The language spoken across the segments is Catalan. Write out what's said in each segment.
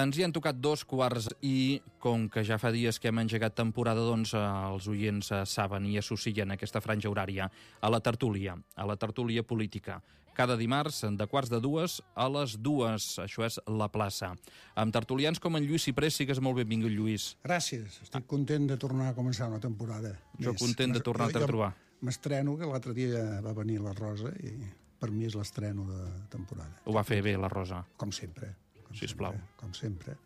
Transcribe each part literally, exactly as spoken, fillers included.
Ens hi han tocat dos quarts i, com que ja fa dies que hem engegat temporada, doncs els oients saben i associen aquesta franja horària a la tertúlia, a la tertúlia política. Cada dimarts, de quarts de dues a les dues. Això és La Plaça. Amb tertulians com en Lluís Ciprés, sigues molt benvingut, Lluís. Gràcies. Estic content de tornar a començar una temporada. Jo content de tornar-te a trobar. M'estreno, que l'altre dia va venir la Rosa i per mi és l'estreno de temporada. Ho va fer bé, la Rosa. Com sempre. Sisplau. Com sempre.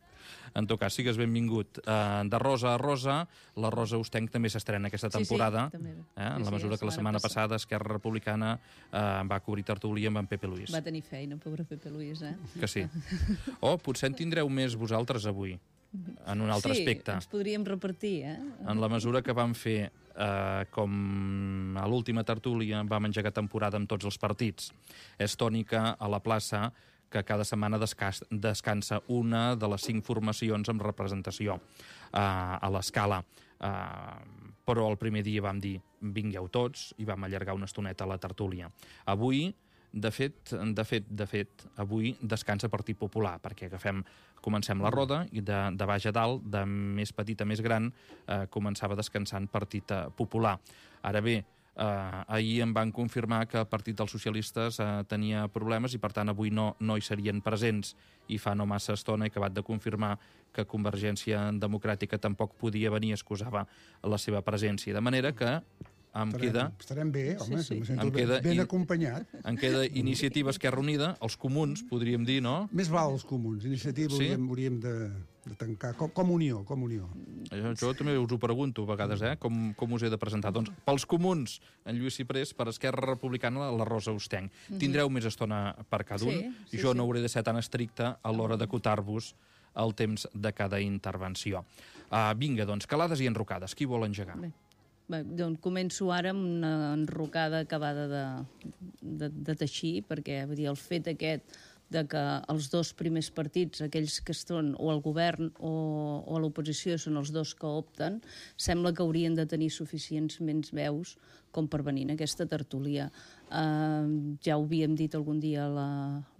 En tot cas, sigues benvingut. Uh, de Rosa a Rosa, la Rosa Ostenc també s'estrena aquesta temporada. Sí, sí, també. Eh? En la mesura sí, que la setmana passada Esquerra Republicana uh, va cobrir tertúlia amb en Pepe Luis. Va tenir feina, pobre Pepe Luis, eh? Que sí. O potser en tindreu més vosaltres avui, en un altre sí, aspecte. Sí, ens podríem repartir, eh? En la mesura que vam fer, uh, com a l'última tertúlia, vam engegar temporada amb tots els partits. És tònica a la plaça que cada setmana descansa una de les cinc formacions amb representació uh, a l'escala. Uh, però el primer dia vam dir vingueu tots i vam allargar una estoneta a la tertúlia. Avui, de fet, de fet, de fet, avui descansa Partit Popular, perquè agafem, comencem la roda i de, de baix a dalt, de més petit a més gran, uh, començava descansant Partit Popular. Ara bé, Uh, ahir em van confirmar que el Partit dels Socialistes uh, tenia problemes i per tant avui no, no hi serien presents, i fa no massa estona he acabat de confirmar que Convergència Democràtica tampoc podia venir, excusava la seva presència, de manera que em estarem, queda... Estarem bé, home, sí, sí. Em sento em queda, ben, ben acompanyat. Em queda Iniciativa Esquerra Unida, els comuns, podríem dir, no? Més val els comuns. Iniciativa sí? hauríem, hauríem de, de tancar. Com, com unió, com unió. Jo, jo també us ho pregunto a vegades, eh? Com, com us he de presentar. Doncs pels comuns, en Lluís Ciprés, per Esquerra Republicana, la Rosa Ostenc. Mm-hmm. Tindreu més estona per cada un. Sí, sí, jo sí. No hauré de ser tan estricte a l'hora d'acotar-vos el temps de cada intervenció. Uh, vinga, doncs, calades i enrocades. Qui vol engegar? Bé. Bé, doncs començo ara amb una enrocada acabada de, de, de teixir, perquè vull dir, el fet aquest de que els dos primers partits, aquells que estan o al govern o, o a l'oposició, són els dos que opten, sembla que haurien de tenir suficients menys veus com per venir en aquesta tertúlia. Uh, ja ho havíem dit algun dia la,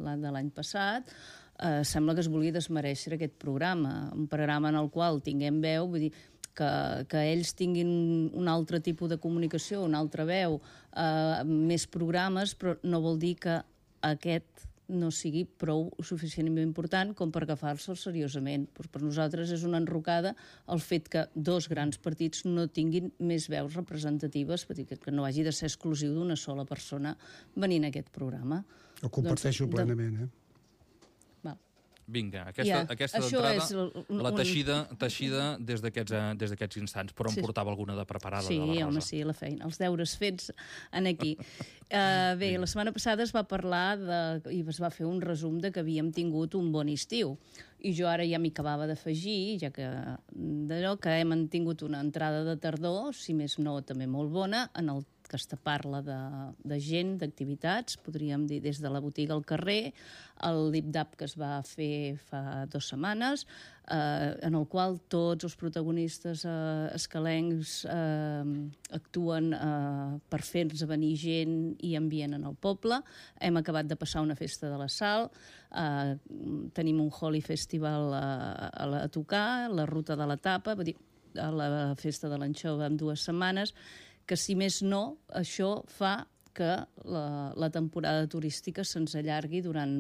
la de l'any passat, uh, sembla que es volia desmereixer aquest programa, un programa en el qual tinguem veu, vull dir, Que, que ells tinguin un altre tipus de comunicació, una altra veu, eh, més programes, però no vol dir que aquest no sigui prou suficientment important com per agafar-se'l seriosament. Però per nosaltres és una enrocada el fet que dos grans partits no tinguin més veus representatives, que no hagi de ser exclusiu d'una sola persona venint a aquest programa. Ho comparteixo doncs, plenament, eh? Vinga, aquesta, ja, aquesta d'entrada, el, la teixida, teixida des d'aquests instants, però sí. Em portava alguna de preparada sí, de la Rosa. Home, sí, la feina, els deures fets en aquí. uh, bé, la setmana passada es va parlar de, i es va fer un resum de que havíem tingut un bon estiu, i jo ara ja m'hi acabava d'afegir, ja que d'allò que hem tingut una entrada de tardor, si més no també molt bona, en el que es parla de, de gent, d'activitats, podríem dir des de la botiga al carrer, el lip-dap que es va fer fa dues setmanes, eh, en el qual tots els protagonistes eh, escalencs eh, actuen eh, per fer-nos venir gent i ambient en el poble. Hem acabat de passar una festa de la Sal, eh, tenim un Holi Festival a, a, a tocar, la ruta de la tapa, vull dir, a la festa de l'anxova en dues setmanes, que si més no, això fa que la, la temporada turística se'ns allargui durant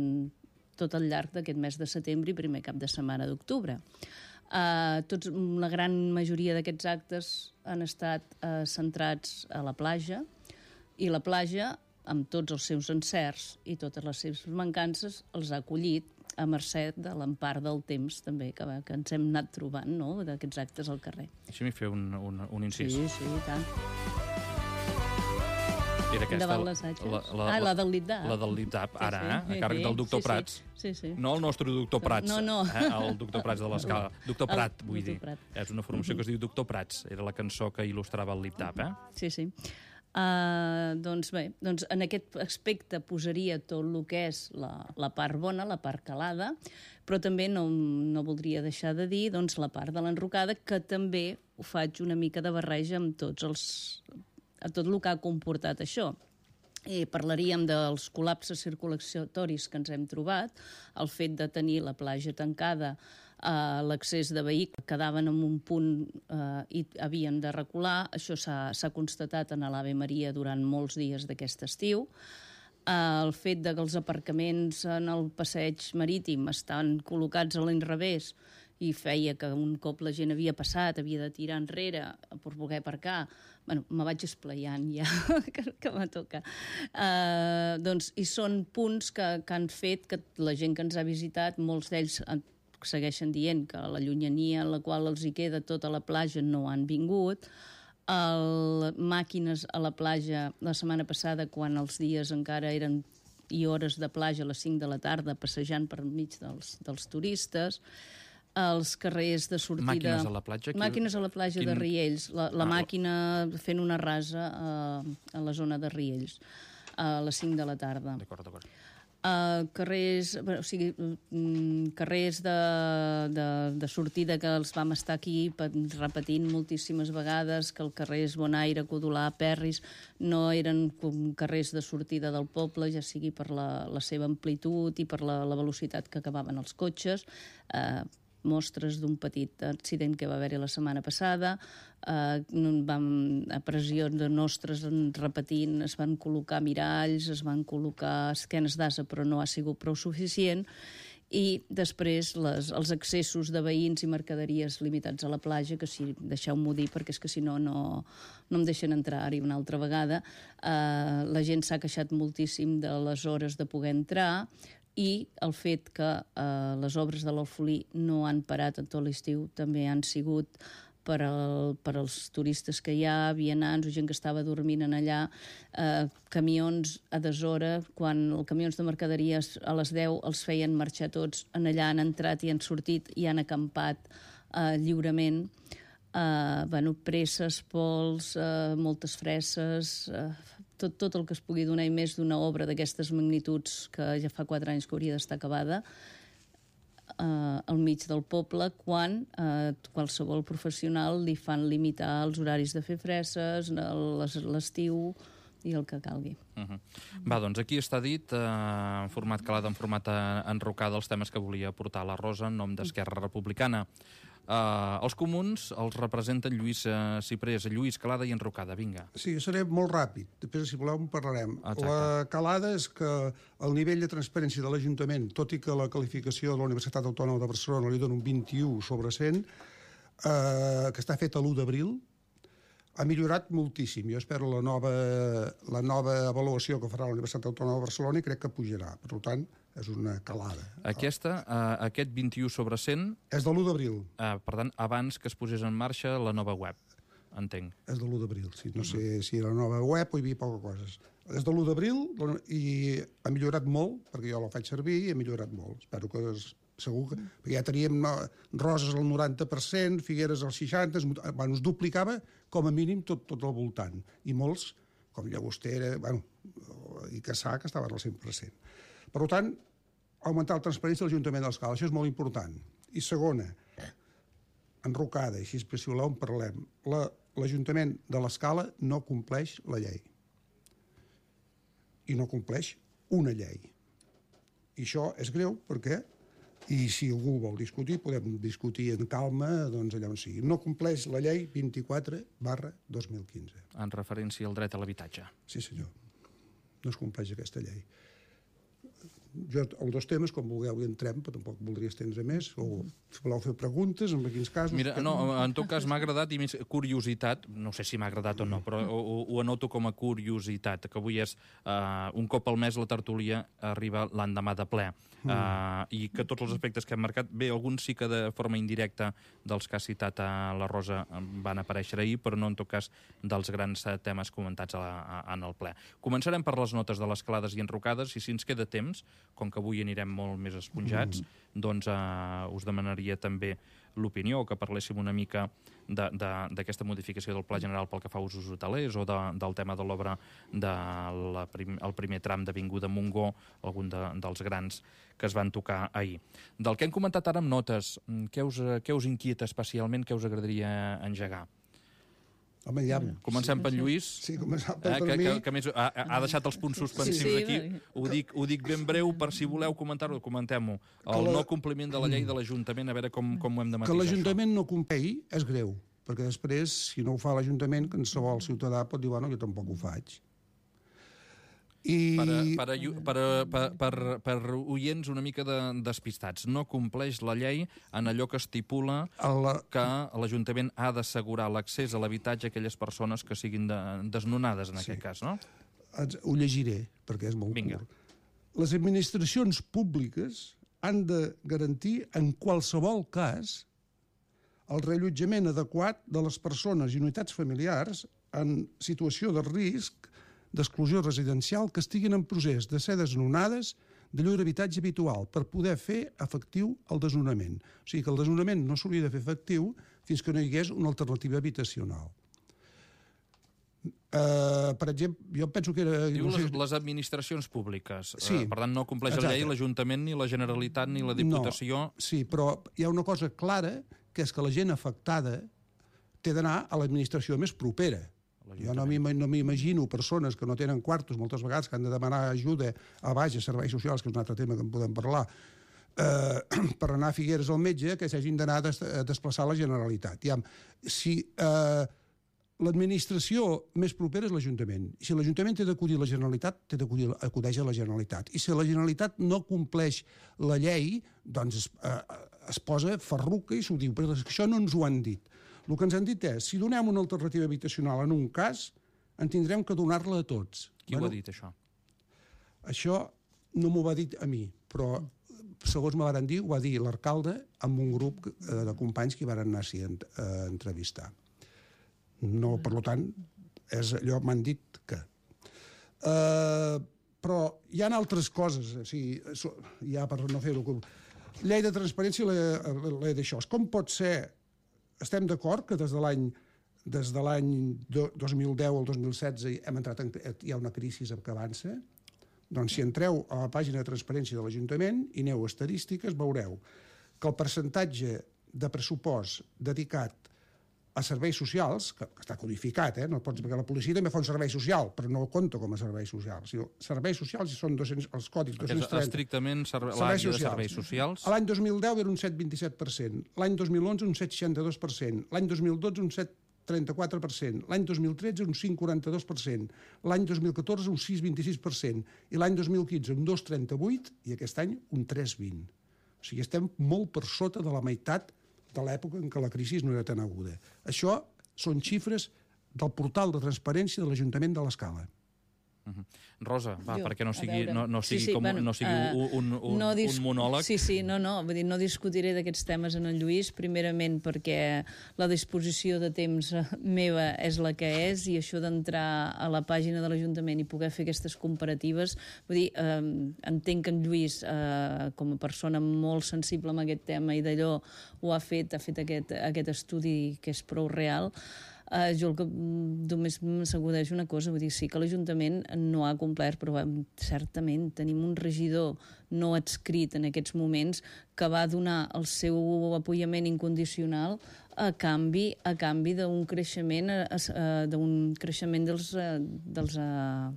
tot el llarg d'aquest mes de setembre i primer cap de setmana d'octubre. Uh, tots, la gran majoria d'aquests actes han estat uh, centrats a la platja, i la platja, amb tots els seus encerts i totes les seves mancances, els ha acollit a mercè de l'empart del temps també que, que ens hem anat trobant, no?, d'aquests actes al carrer. Deixa'm fer un, un, un incís. Sí, sí, i tant. Era aquesta, davant l'assaig. La, la, ah, la del lip-dap. La del lip-dap, ara, sí, sí, eh? A càrrec del doctor sí, Prats. Sí, sí. No el nostre doctor Prats. No, no. Eh? El doctor Prats de l'Escala. Doctor Prat, el, vull dir. Prat. És una formació que es diu Doctor Prats. Era la cançó que il·lustrava el lip-dap, eh? Sí, sí. Uh, doncs bé, doncs en aquest aspecte posaria tot el que és la, la part bona, la part calada, però també no, no voldria deixar de dir doncs, la part de l'enrocada, que també ho faig una mica de barreja amb tots els, a tot el que ha comportat això. I parlaríem dels col·lapses circulatoris que ens hem trobat, el fet de tenir la platja tancada, Uh, l'accés de vehicles quedaven en un punt uh, i havien de recular. Això s'ha constatat en l'Ave Maria durant molts dies d'aquest estiu. Uh, el fet de que els aparcaments en el passeig marítim estan col·locats a l'inrevés i feia que un cop la gent havia passat, havia de tirar enrere per poder aparcar. Bueno, me vaig esplaiant ja, que, que me toca. Uh, doncs, I són punts que, que han fet que la gent que ens ha visitat, molts d'ells segueixen dient que la llunyania en la qual els hi queda tota la platja no han vingut. El, màquines a la platja la setmana passada, quan els dies encara eren i hores de platja a les cinc de la tarda, passejant per mig dels, dels turistes. Els carrers de sortida... Màquines a la platja? Quin... Màquines a la platja Quin... de Riells. La, la ah, màquina fent una rasa a, a la zona de Riells a les cinc de la tarda. D'acord, d'acord. Uh, carrers, o sigui, um, carrers de, de, de sortida que els vam estar aquí repetint moltíssimes vegades, que el carrers Bonaire, Codolà, Perris no eren com carrers de sortida del poble, ja sigui per la, la seva amplitud i per la, la velocitat que acabaven els cotxes. Uh, mostres d'un petit accident que va haver-hi la setmana passada. Eh, vam, a pressió de nostres repetint, es van col·locar miralls, es van col·locar esquenes d'ase, però no ha sigut prou suficient. I després les, els accessos de veïns i mercaderies limitats a la platja, que si deixeu-m'ho dir, perquè és que si no, no, no em deixen entrar-hi una altra vegada. Eh, la gent s'ha queixat moltíssim de les hores de poder entrar, i el fet que eh, les obres de l'Alfolí no han parat en tot l'estiu també han sigut per, al, per als turistes que hi ha, vianants o gent que estava dormint en allà, eh, camions a deshora, quan els camions de mercaderies a les deu els feien marxar tots, en allà han entrat i han sortit i han acampat eh, lliurement. Eh, bueno, presses, pols, eh, moltes fresses... Eh, Tot, tot el que es pugui donar i més d'una obra d'aquestes magnituds que ja fa quatre anys que hauria d'estar acabada eh, al mig del poble, quan eh, qualsevol professional li fan limitar els horaris de fer fresses, l'estiu i el que calgui. Uh -huh. Va, doncs aquí està dit, eh, en format calat, en format enrocada, els temes que volia portar la Rosa en nom d'Esquerra Republicana. Uh, els comuns els representen Lluís uh, Ciprés, Lluís, calada i enrocada, vinga. Sí, seré molt ràpid, després si voleu en parlarem. Exacte. La calada és que el nivell de transparència de l'Ajuntament, tot i que la qualificació de la Universitat Autònoma de Barcelona li dona un vint-i-u sobre cent, uh, que està fet a l'u d'abril, ha millorat moltíssim. Jo espero la nova, la nova avaluació que farà la Universitat Autònoma de Barcelona i crec que pujarà. Per tant, és una calada. Aquesta, uh, aquest vint-i-u sobre cent... És de l'u d'abril. Uh, per tant, abans que es posés en marxa la nova web, entenc. És de l'u d'abril, sí. No sé si era la nova web o hi havia poques coses. És de l'u d'abril i ha millorat molt, perquè jo la faig servir i ha millorat molt. Espero que... Es, segur que... Perquè ja teníem no, Roses al noranta per cent, Figueres al seixanta per cent, bueno, es duplicava com a mínim tot, tot al voltant. I molts, com Llagostera, bueno, i Cassà, que estaven al cent per cent. Per tant, augmentar la transparència de l'Ajuntament de l'Escala, això és molt important. I segona, enrocada, així si voleu en parlem, l'Ajuntament de l'Escala no compleix la llei. I no compleix una llei. I això és greu perquè, i si algú vol discutir, podem discutir en calma, doncs allà on sigui. No compleix la llei vint-i-quatre barra dos mil quinze. En referència al dret a l'habitatge. Sí, senyor. No es compleix aquesta llei. Jo, els dos temes, com vulgueu, hi entrem, però tampoc voldria estendre més, o si voleu fer preguntes, en quins casos... Mira, no, en tot cas m'ha agradat, i més curiositat, no sé si m'ha agradat o no, però ho, ho anoto com a curiositat, que avui és uh, un cop al mes la tertúlia arriba l'endemà de ple, uh, i que tots els aspectes que hem marcat, bé, alguns sí que de forma indirecta dels que ha citat a la Rosa van aparèixer ahir, però no en tot cas dels grans temes comentats a la, a, en el ple. Començarem per les notes de les calades i enrocades, i si ens queda temps, temps, com que avui anirem molt més esponjats, mm. doncs uh, us demanaria també l'opinió, que parléssim una mica d'aquesta modificació del Pla General pel que fa a usos hotelers o de, del tema de l'obra del prim, el primer tram d'Avinguda Montgó, algun de, dels grans que es van tocar ahir. Del que hem comentat ara amb notes, què us, què us inquieta especialment, què us agradaria engegar? Home, ja... Comencem sí, per Lluís, sí, començar per, eh, per que, mi. Que, que més ha, ha deixat els punts suspensius sí, sí, aquí. Ho dic, ho dic ben breu, per si voleu comentar-ho, comentem-ho. El la... no compliment de la llei de l'Ajuntament, a veure com, com ho hem de matisar. Que l'Ajuntament no compleixi és greu, perquè després, si no ho fa l'Ajuntament, qualsevol ciutadà pot dir, bueno, jo tampoc ho faig. I... Per, per, per, per, per, per oients una mica de, despistats, no compleix la llei en allò que estipula la... que l'Ajuntament ha d'assegurar l'accés a l'habitatge a aquelles persones que siguin de, desnonades, en sí. aquest cas, no? Ho llegiré, perquè és molt Vinga. curt. Les administracions públiques han de garantir, en qualsevol cas, el reallotjament adequat de les persones i unitats familiars en situació de risc d'exclusió residencial que estiguin en procés de ser desnonades de llur habitatge habitual per poder fer efectiu el desnonament. O sigui que el desnonament no s'hauria de fer efectiu fins que no hi hagués una alternativa habitacional. Uh, per exemple, jo penso que era... Diu no sé... les, les administracions públiques. Sí. Uh, per tant, no compleix Exacte. la llei l'Ajuntament, ni la Generalitat, ni la Diputació. No, sí, però hi ha una cosa clara, que és que la gent afectada té d'anar a l'administració més propera. Jo no m'imagino persones que no tenen quartos moltes vegades que han de demanar ajuda a baix a serveis socials, que és un altre tema que en podem parlar, eh, per anar a Figueres al metge, que s'hagin d'anar a des desplaçar a la Generalitat. Ja, si eh, l'administració més propera és l'Ajuntament, si l'Ajuntament té d'acudir a la Generalitat, té d'acudir acudeix a la Generalitat. I si la Generalitat no compleix la llei, doncs es, eh, es posa ferruca i s'ho diu, però això no ens ho han dit. El que ens han dit és, si donem una alternativa habitacional en un cas, en tindrem que donar-la a tots. Qui bueno, ho ha dit, això? Això no m'ho va dir a mi, però, segons me van dir, ho va dir l'alcalde amb un grup de companys que hi van anar-s'hi a entrevistar. No, per tant, és allò m'han dit que... Uh, però hi ha altres coses, o sigui, ja per no fer-ho... Llei de transparència, llei d'això. Com pot ser... Estem d'acord que des de l'any des de l'any dos mil deu al dos mil setze hem entrat en, hi ha una crisi que avança? Doncs si entreu a la pàgina de transparència de l'Ajuntament i aneu a estadístiques, veureu que el percentatge de pressupost dedicat a serveis socials, que està codificat, eh? No pots, perquè la policia també fa un servei social, però no compta com a servei social. O sigui, serveis socials són dos-cents, els codis dos-cents trenta. Estrictament serve, l'àrea de serveis socials. L'any dos mil deu era un set coma vint-i-set per cent, l'any dos mil onze un set coma seixanta-dos per cent, l'any dos mil dotze un set coma trenta-quatre per cent, l'any dos mil tretze un cinc coma quaranta-dos per cent, l'any dos mil catorze un sis coma vint-i-sis per cent i l'any dos mil quinze un dos coma trenta-vuit i aquest any un tres coma vint. O sigui, estem molt per sota de la meitat de l'època en què la crisi no era tan aguda. Això són xifres del portal de transparència de l'Ajuntament de l'Escala. Uh-huh. Rosa, va, jo, perquè no sigui, no, no sigui, sí, sí, com, bueno, no sigui uh, un, un, no un monòleg. Sí, sí, no, no, vull dir, no discutiré d'aquests temes en el Lluís, primerament perquè la disposició de temps meva és la que és i això d'entrar a la pàgina de l'Ajuntament i poder fer aquestes comparatives, vull dir, eh, entenc que en Lluís, eh, com a persona molt sensible amb aquest tema i d'allò ho ha fet, ha fet aquest, aquest estudi que és prou real. Uh, jo el que només m'assegureix una cosa, vull dir, sí que l'Ajuntament no ha complert, però um, certament tenim un regidor no adscrit en aquests moments que va donar el seu apoyament incondicional a canvi a canvi d'un creixement uh, d'un creixement dels, uh, dels, uh,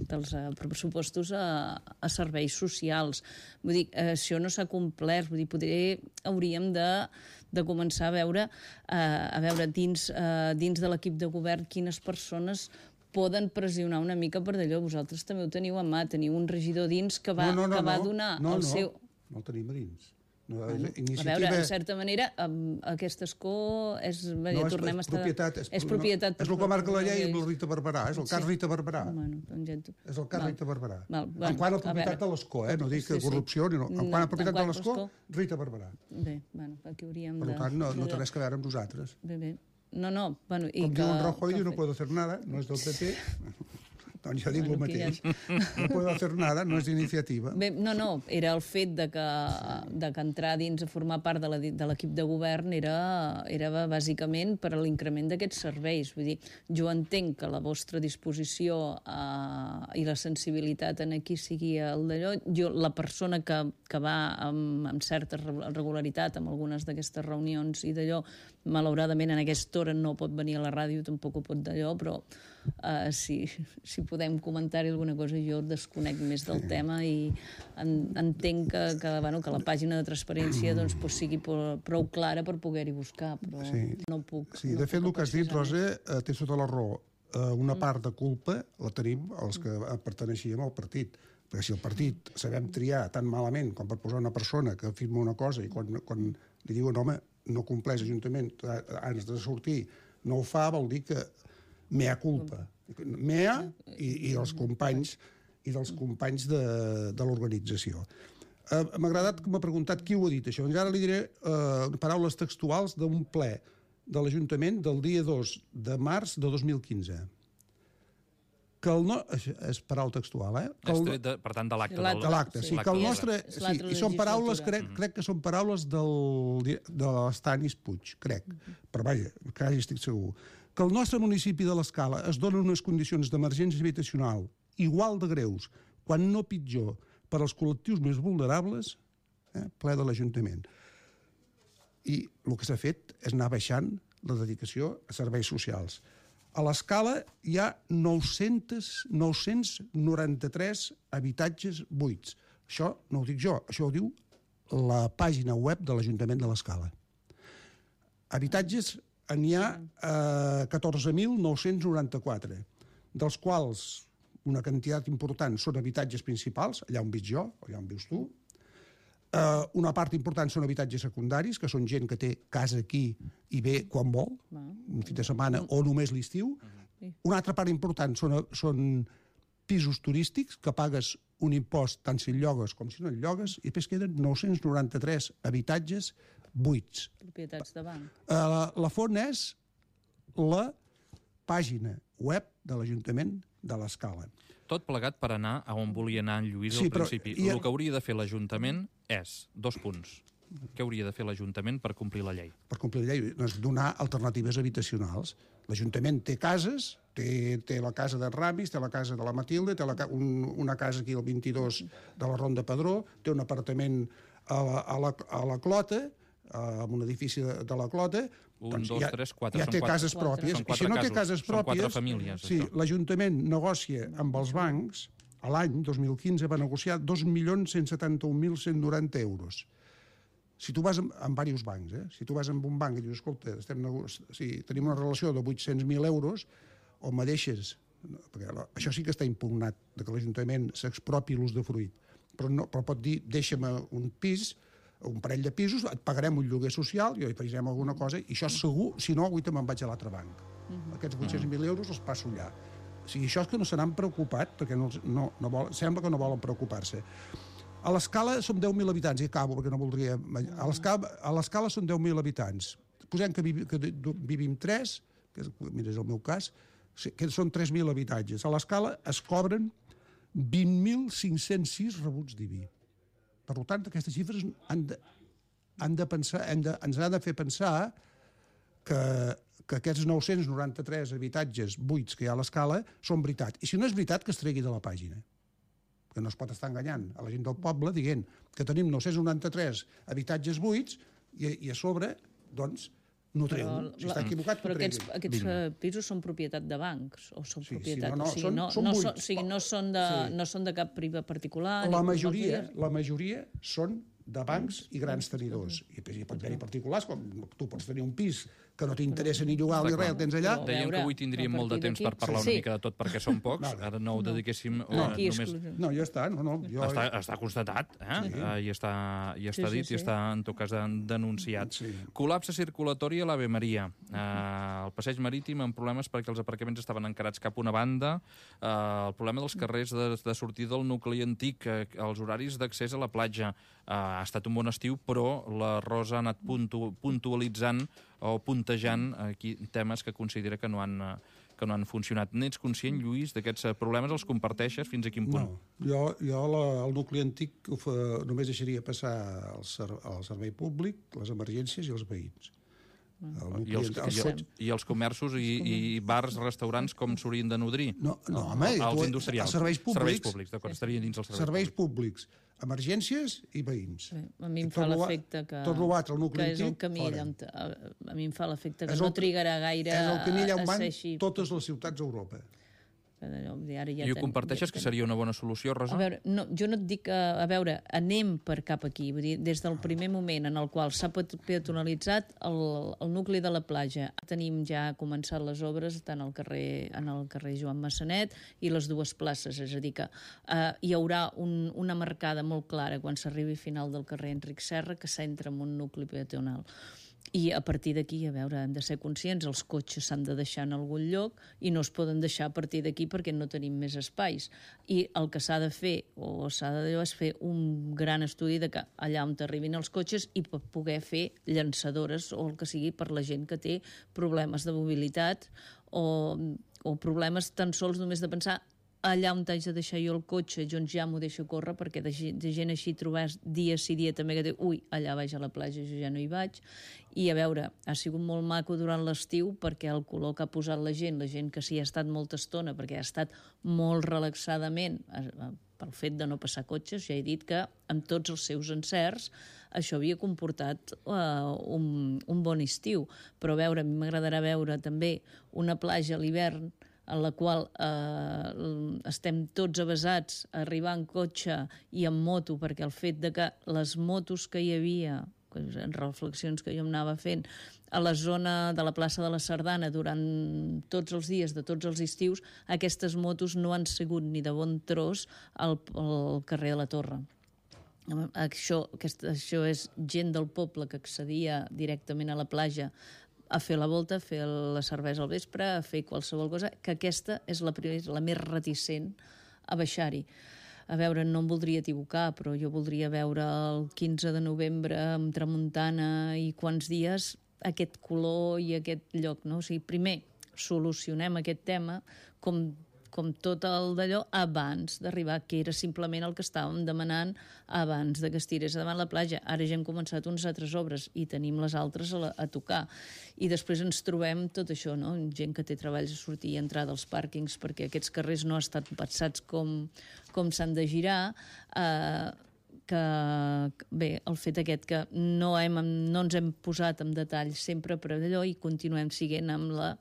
dels uh, pressupostos a, a serveis socials. Vull dir, uh, això no s'ha complert, vull dir, potser hauríem de de començar a veure, uh, a veure dins, uh, dins de l'equip de govern quines persones poden pressionar una mica per d'allò. Vosaltres també ho teniu a mà, teniu un regidor dins que va, no, no, no, que va donar no, el no, seu... No, no el tenim a dins. No, bueno, iniciativa... A veure, en certa manera, aquest escó és... No, és, tornem és, a estar... propietat, és, és propietat. No, és el que marca la llei amb la Rita Barberà, és el cas sí. Rita Barberà. Bueno, doncs... És el cas val. Rita Barberà. Val, bueno, en quant a propietat a de l'escó, eh? No dic que sí, corrupció, sí. No. En quant a propietat de l'escó, Rita Barberà. Bé, bueno, aquí hauríem de... Per tant, no, no té res que veure amb nosaltres. Bé, bé. No, no, bueno... I Com que, diu en Rajoy, que... no puedo hacer nada, no és del P P... Doncs jo dic Bueno, el aquí mateix. ja No puedo hacer nada, no és iniciativa. Bé, no, no, era el fet de que, de que entrar dins a formar part de la- de l'equip de govern era, era bàsicament per a l'increment d'aquests serveis. Vull dir, jo entenc que la vostra disposició eh, i la sensibilitat en aquí sigui el d'allò. Jo, la persona que, que va amb, amb certa regularitat amb algunes d'aquestes reunions i d'allò, malauradament en aquesta hora no pot venir a la ràdio, tampoc ho pot d'allò, però uh, si, si podem comentar-hi alguna cosa, jo desconec més del sí. tema i en, entenc que, que, bueno, que la pàgina de transparència doncs, pues, sigui prou clara per poder-hi buscar, però sí. no puc... Sí, no de fet, puc el que has dit, Rosa, eh, tens tota la raó. Eh, una Mm. part de culpa la tenim els que perteneixíem al partit. Perquè si el partit sabem triar tan malament com per posar una persona que firma una cosa i quan, quan li diuen, home, no compleix l'Ajuntament, has de sortir, no ho fa, vol dir que mea culpa. Mea i, i dels companys i dels companys de, de l'organització. Uh, M'ha agradat que m'ha preguntat qui ho ha dit, això. Doncs ara li diré uh, paraules textuals d'un ple de l'Ajuntament del dia dos de març de dos mil quinze. Que el no... És paraula textual, eh? Que el... de, per tant, de l'acte. De l'acte, sí. Que el nostre... Sí, i són paraules, crec, crec que són paraules del, de l'Estanis Puig, crec. Però vaja, quasi estic segur. Que el nostre municipi de l'Escala es dona unes condicions d'emergència habitacional igual de greus, quan no pitjor, per als col·lectius més vulnerables, eh, ple de l'Ajuntament. I el que s'ha fet és anar baixant la dedicació a serveis socials. A l'Escala hi ha nou-cents noranta-tres habitatges buits. Això no ho dic jo, això ho diu la pàgina web de l'Ajuntament de l'Escala. Habitatges n'hi ha eh, catorze mil nou-cents noranta-quatre, dels quals una quantitat important són habitatges principals, allà on visc jo, allà on vius tu. Uh, una part important són habitatges secundaris, que són gent que té casa aquí i ve quan vol, un fin de setmana o només l'estiu. Una altra part important són, són pisos turístics, que pagues un impost tant si el llogues com si no el llogues, i després queden nou-cents noranta-tres habitatges buits. Propietats de banc. Uh, la, la font és la pàgina web de l'Ajuntament de l'Escala. Tot plegat per anar a on volia anar en Lluís Sí, al però principi. hi ha- El que hauria de fer l'Ajuntament és, dos punts, què hauria de fer l'Ajuntament per complir la llei? Per complir la llei, doncs donar alternatives habitacionals. L'Ajuntament té cases, té, té la casa de Ramis, té la casa de la Matilde, té la, ca- un, una casa aquí al vint-i-dos de la Ronda Padró, té un apartament a la, a la, a la Clota, en un edifici de, de la Clota. Un, doncs dos, ja, tres, quatre, ja són té quatre. cases pròpies. Són I quatre si no té casos, cases són quatre pròpies, famílies, sí, això. l'Ajuntament negocia amb els bancs, a l'any dos mil quinze va negociar dos milions cent setanta-un mil cent noranta euros. Si tu vas amb, amb diversos bancs, eh? Si tu vas amb un banc i dius, escolta, estem nego... sí, tenim una relació de vuit-cents mil euros, o me deixes... No, perquè la, això sí que està impugnat, de que l'Ajuntament s'expropi l'usdefruit, però, no, però pot dir, deixa'm un pis, un parell de pisos, et pagarem un lloguer social, i afegirem alguna cosa, i això segur, si no, avui me'n vaig a l'altre banc. Uh-huh. Aquests vuit-cents mil euros els passo allà. O sigui, això és que no se n'han preocupat, perquè no, no, no vol, sembla que no volen preocupar-se. A l'Escala som deu mil habitants, i acabo perquè no voldria... A l'Escala, a l'Escala són deu mil habitants. Posem que, vivi, que vivim tres, que és, mira, és el meu cas, que són tres mil habitatges. A l'Escala es cobren vint mil cinc-cents sis rebuts d'I B I. Per tant, aquestes xifres han de, han de pensar, han de, ens han de fer pensar que, que aquests nou-cents noranta-tres habitatges buits que hi ha a l'Escala són veritat. I si no és veritat, que es tregui de la pàgina. Que no es pot estar enganyant a la gent del poble dient que tenim nou-cents noranta-tres habitatges buits i, i a sobre, doncs, no treuen. Si està equivocat, però no aquests, aquests pisos són propietat de bancs o són Sí, sí, propietat... no, no, o sigui, són- no, són no, buits. són, o sigui, no, són de, Sí. no són de cap priva particular... La ni majoria, com la majoria són de bancs i grans tenidors. I hi pot haver-hi particulars, com tu pots tenir un pis que no t'interessa ni llogar ni res, el tens allà. Però- Dèiem veure, que avui tindríem a molt de partir temps d'aquí- per parlar Sí. una mica de tot perquè som pocs, Vale. ara no ho dediquéssim No. eh, Aquí només... exclusiu. No, ja està, no, no. Jo... Està, està constatat, eh? Sí. Eh, I està, i està Sí, sí, dit sí. i està, en tot cas, den- denunciat. Sí. Col·lapse circulatori a l'Ave Maria. Eh, el passeig marítim amb problemes perquè els aparcaments estaven encarats cap a una banda. Eh, el problema dels carrers de, de sortida del nucli antic, eh, els horaris d'accés a la platja. Eh, ha estat un bon estiu, però la Rosa ha anat puntu, puntualitzant o puntejant aquí temes que considera que no han, eh, que no han funcionat. N'ets conscient, Lluís, d'aquests problemes? Els comparteixes? Fins a quin punt? No, jo, jo la, el nucli antic fa, només deixaria passar el, ser, el servei públic, les emergències i els veïns. El I, els, i, els, I els comerços i, i bars, restaurants, com s'haurien de nodrir? No, no home, els tu, industrials. Els serveis públics. Serveis públics, d'acord, estarien dins els serveis, serveis públics. públics, emergències i veïns. Sí, a mi em fa l'efecte que, tot l'altre, el nucli que és el antic, camí fora. A, a mi em fa l'efecte que el, no trigarà gaire és el camí allà on van així. totes les ciutats d'Europa. Ara ja I ho comparteixes, ja que seria una bona solució, Rosa? A veure, no, jo no et dic, que, a veure, anem per cap aquí. Vull dir, des del primer moment en el qual s'ha peatonalitzat el, el nucli de la platja, tenim ja començat les obres tant al carrer, en el carrer Joan Massanet i les dues places, és a dir que eh, hi haurà un, una marcada molt clara quan s'arribi al final del carrer Enric Serra que s'entra en un nucli peatonal. I a partir d'aquí, a veure, hem de ser conscients, els cotxes s'han de deixar en algun lloc i no es poden deixar a partir d'aquí perquè no tenim més espais. I el que s'ha de fer, o s'ha de és fer un gran estudi de que allà on arribin els cotxes i per poder fer llançadores o el que sigui per la gent que té problemes de mobilitat o, o problemes tan sols només de pensar allà on t'haig de deixar jo el cotxe, doncs ja m'ho deixo córrer, perquè de, de gent així trobàs dia sí dia també que diu, ui, allà vaig a la platja, jo ja no hi vaig. I a veure, ha sigut molt maco durant l'estiu perquè el color que ha posat la gent, la gent que s'hi ha estat molta estona, perquè ha estat molt relaxadament, pel fet de no passar cotxes, ja he dit que amb tots els seus encerts això havia comportat uh, un, un bon estiu. Però a veure, a mi m'agradarà veure també una platja a l'hivern en la qual eh, estem tots avesats a arribar en cotxe i en moto, perquè el fet de que les motos que hi havia, en reflexions que jo em anava fent, a la zona de la plaça de la Sardana durant tots els dies de tots els estius, aquestes motos no han sigut ni de bon tros al, al carrer de la Torre. Això, aquesta, això és gent del poble que accedia directament a la platja a fer la volta, a fer la cervesa al vespre, a fer qualsevol cosa, que aquesta és la, la més reticent a baixar-hi. A veure, no em voldria equivocar, però jo voldria veure el quinze de novembre amb tramuntana i quants dies aquest color i aquest lloc, no? O sigui, primer solucionem aquest tema com com tot el d'allò, abans d'arribar, que era simplement el que estàvem demanant abans de que es tirés davant la platja. Ara ja hem començat unes altres obres i tenim les altres a, la, a tocar. I després ens trobem tot això, no? Gent que té treballs a sortir i entrar dels pàrquings perquè aquests carrers no estan pensats com, com s'han de girar, eh, que, bé, el fet aquest que no, hem, no ens hem posat en detall sempre per allò i continuem siguent amb la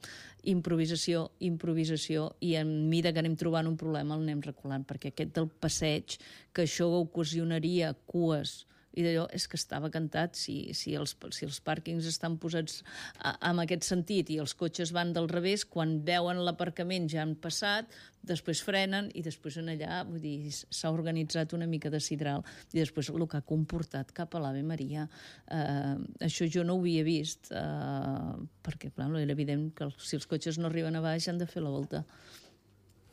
improvisació, improvisació i en mida que anem trobant un problema el anem reculant, perquè aquest del passeig, que això ocasionaria cues i d'allò és que estava cantat si, si, els, si els pàrquings estan posats a, en aquest sentit i els cotxes van del revés, quan veuen l'aparcament ja han passat, després frenen i després en allà, vull dir, s'ha organitzat una mica de sidral i després el que ha comportat cap a l'Ave Maria. Eh, això jo no ho havia vist eh, perquè, clar, era evident que si els cotxes no arriben a baix han de fer la volta.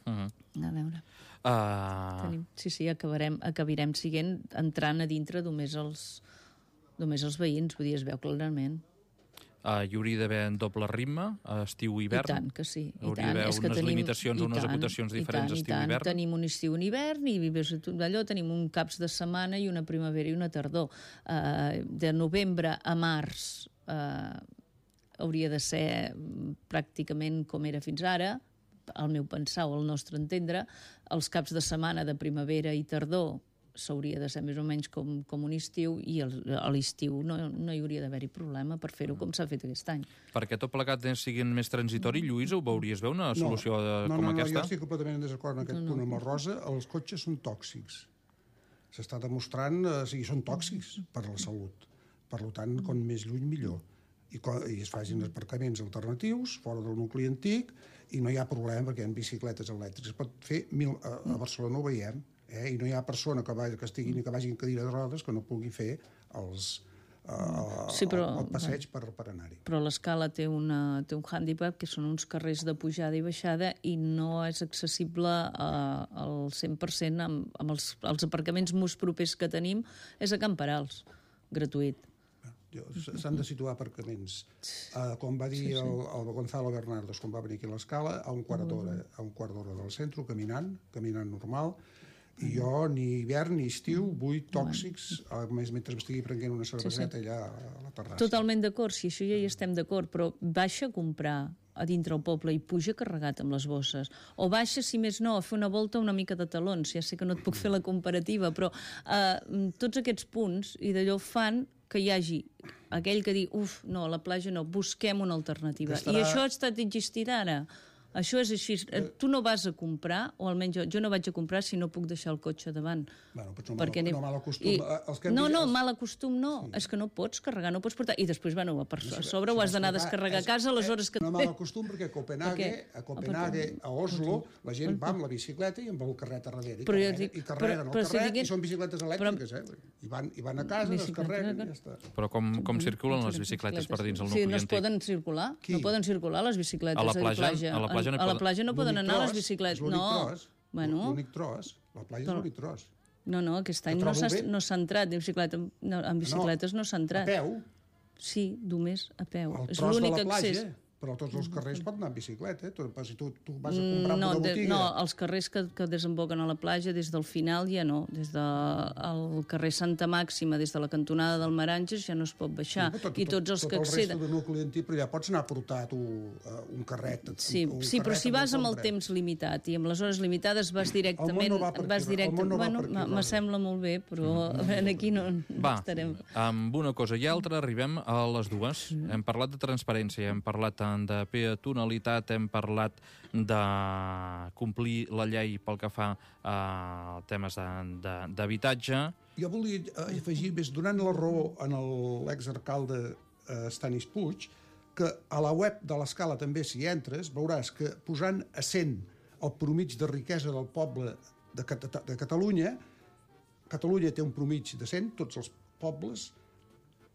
Uh-huh. A veure... Uh... Tenim, sí, sí, acabarem, acabarem siguent entrant a dintre només els, només els veïns, vull dir, es veu clarament. Uh, hi hauria d'haver en doble ritme, estiu i hivern? I tant que sí. I hauria d'haver unes tenim, limitacions, unes tant, acotacions diferents tant, estiu i hivern? Tenim un estiu i un hivern i d'allò tenim un caps de setmana i una primavera i una tardor. Uh, de novembre a març uh, hauria de ser pràcticament com era fins ara, al meu pensar o al nostre entendre. Els caps de setmana de primavera i tardor s'hauria de ser més o menys com, com un estiu i el, a l'estiu no, no hi hauria d'haver-hi problema per fer-ho com s'ha fet aquest any. Perquè tot plegat sigui més transitori, Lluís, ho veuries bé una solució no, de, no, com no, aquesta? No, jo estic completament en desacord en aquest no, punt no. amb el Rosa. Els cotxes són tòxics. S'està demostrant, o sigui, són tòxics per a la salut. Per tant, com més lluny, millor. I, i es facin aparcaments alternatius fora del nucli antic i no hi ha problema perquè hi ha bicicletes elèctriques. Es pot fer mil, a, a Barcelona ho veiem, eh? I no hi ha persona que, va, que estigui que vagi en cadira de rodes que no pugui fer els, uh, sí, però, el, el passeig per, per anar-hi. Però l'escala té, una, té un hàndicap que són uns carrers de pujada i baixada i no és accessible uh, al cent per cent amb, amb els, els aparcaments més propers que tenim és a Camperals, gratuït. S'han de situar aparcaments. Uh, com va dir Sí, sí. el, el Gonzalo Bernardos, quan va venir aquí a l'Escala, a un quart d'hora, a un quart d'hora del centre, caminant, caminant normal, i jo ni hivern ni estiu vull tòxics, a més mentre m'estigui prenent una cerveseta allà a la terrassa. Totalment d'acord, si això ja hi estem d'acord, però baixa a comprar a dintre el poble i puja carregat amb les bosses. O baixa, si més no, a fer una volta una mica de talons. Ja sé que no et puc fer la comparativa, però eh, tots aquests punts i d'allò fan que hi hagi aquell que diu, uf, no, a la platja no, busquem una alternativa. Estarà... I això ha estat existint ara. Això és així. Tu no vas a comprar, o almenys jo, jo no vaig a comprar si no puc deixar el cotxe davant. Bueno, però no, Perquè mal, anem- no mal acostum. I... Els que hem No, vist- no, els- mal acostum no. Sí. És que no pots carregar, no pots portar... I després, bueno, a, per... a sobre ho has d'anar a descarregar a casa a les hores que... No mal acostum perquè a Copenhague, Per què? a Copenhague, a Oslo, la gent va amb la bicicleta i amb el carret a darrere. I Però jo carreguen, dic- i carreguen però- el però si carret diguem- i són bicicletes elèctriques, eh? I van, i van a casa, Bicicleta, descarreguen i ja està. Però com, com circulen les bicicletes per dins el Sí, nucli no es antic? poden circular. Qui? No poden circular les bicicletes A la de platja- a la platja no a la poden- platja no poden L'únic anar les tros, bicicletes. és l'únic No, tros, bueno, l'únic tros. La platja és Però- l'únic tros. no, no, aquest any Que no trobo s'ha bé. no s'ha entrat en bicicleta, no, en bicicletes no s'ha A entrat. peu, Sí, només a peu. el És tros de l'únic la platja, accés. però a tots els carrers pot anar amb bicicleta. Eh? Tu, si tu, tu vas a comprar No, una de, botiga... no, els carrers que, que desemboquen a la platja des del final ja no. Des del carrer Santa Màxima, des de la cantonada del Maranges, ja no es pot baixar. Però tot, I tots els tot, que tot el acceden... resto de nucli antic, però ja pots anar a portar tu uh, un carret. Sí, un sí, però carret si vas amb el compra. temps limitat i amb les hores limitades vas directament... El món no va per aquí, vas el directe, món no va bueno, per aquí, me- me Rosa. sembla molt bé, però en aquí no, no Va, estarem. amb una cosa i altra arribem a les dues. Hem parlat de transparència, hem parlat tant de peatonalitat, hem parlat de complir la llei pel que fa a temes de- de- d'habitatge. Jo volia eh, afegir, més donant la raó a l'exalcalde eh, Stanis Puig, que a la web de l'Escala també, si entres, veuràs que posant a cent el promig de riquesa del poble de, Cat de Catalunya, Catalunya té un promig de cent, tots els pobles,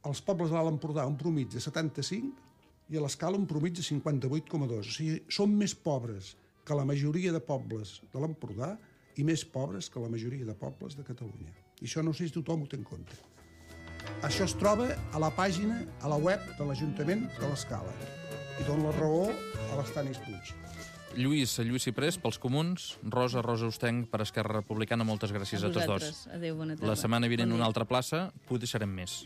els pobles de l'Alt Empordà un promig de setanta-cinc i a l'Escala un promig de cinquanta-vuit coma dos. O sigui, som més pobres que la majoria de pobles de l'Empordà i més pobres que la majoria de pobles de Catalunya. I això no sé si tothom ho té en compte. Això es troba a la pàgina, a la web de l'Ajuntament de l'Escala. I dona la raó a l'Estanis Puig. Lluís, Lluís Ciprés, pels Comuns, Rosa, Rosa Ostenc, per Esquerra Republicana, moltes gràcies a, A tots dos. vosaltres. Adéu, bona tarda. La setmana vinent Bon una dia. altra plaça, potser serem més.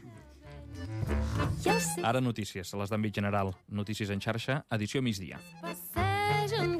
Ara notícies, a les d'àmbit general. Notícies en xarxa, edició migdia. Passeja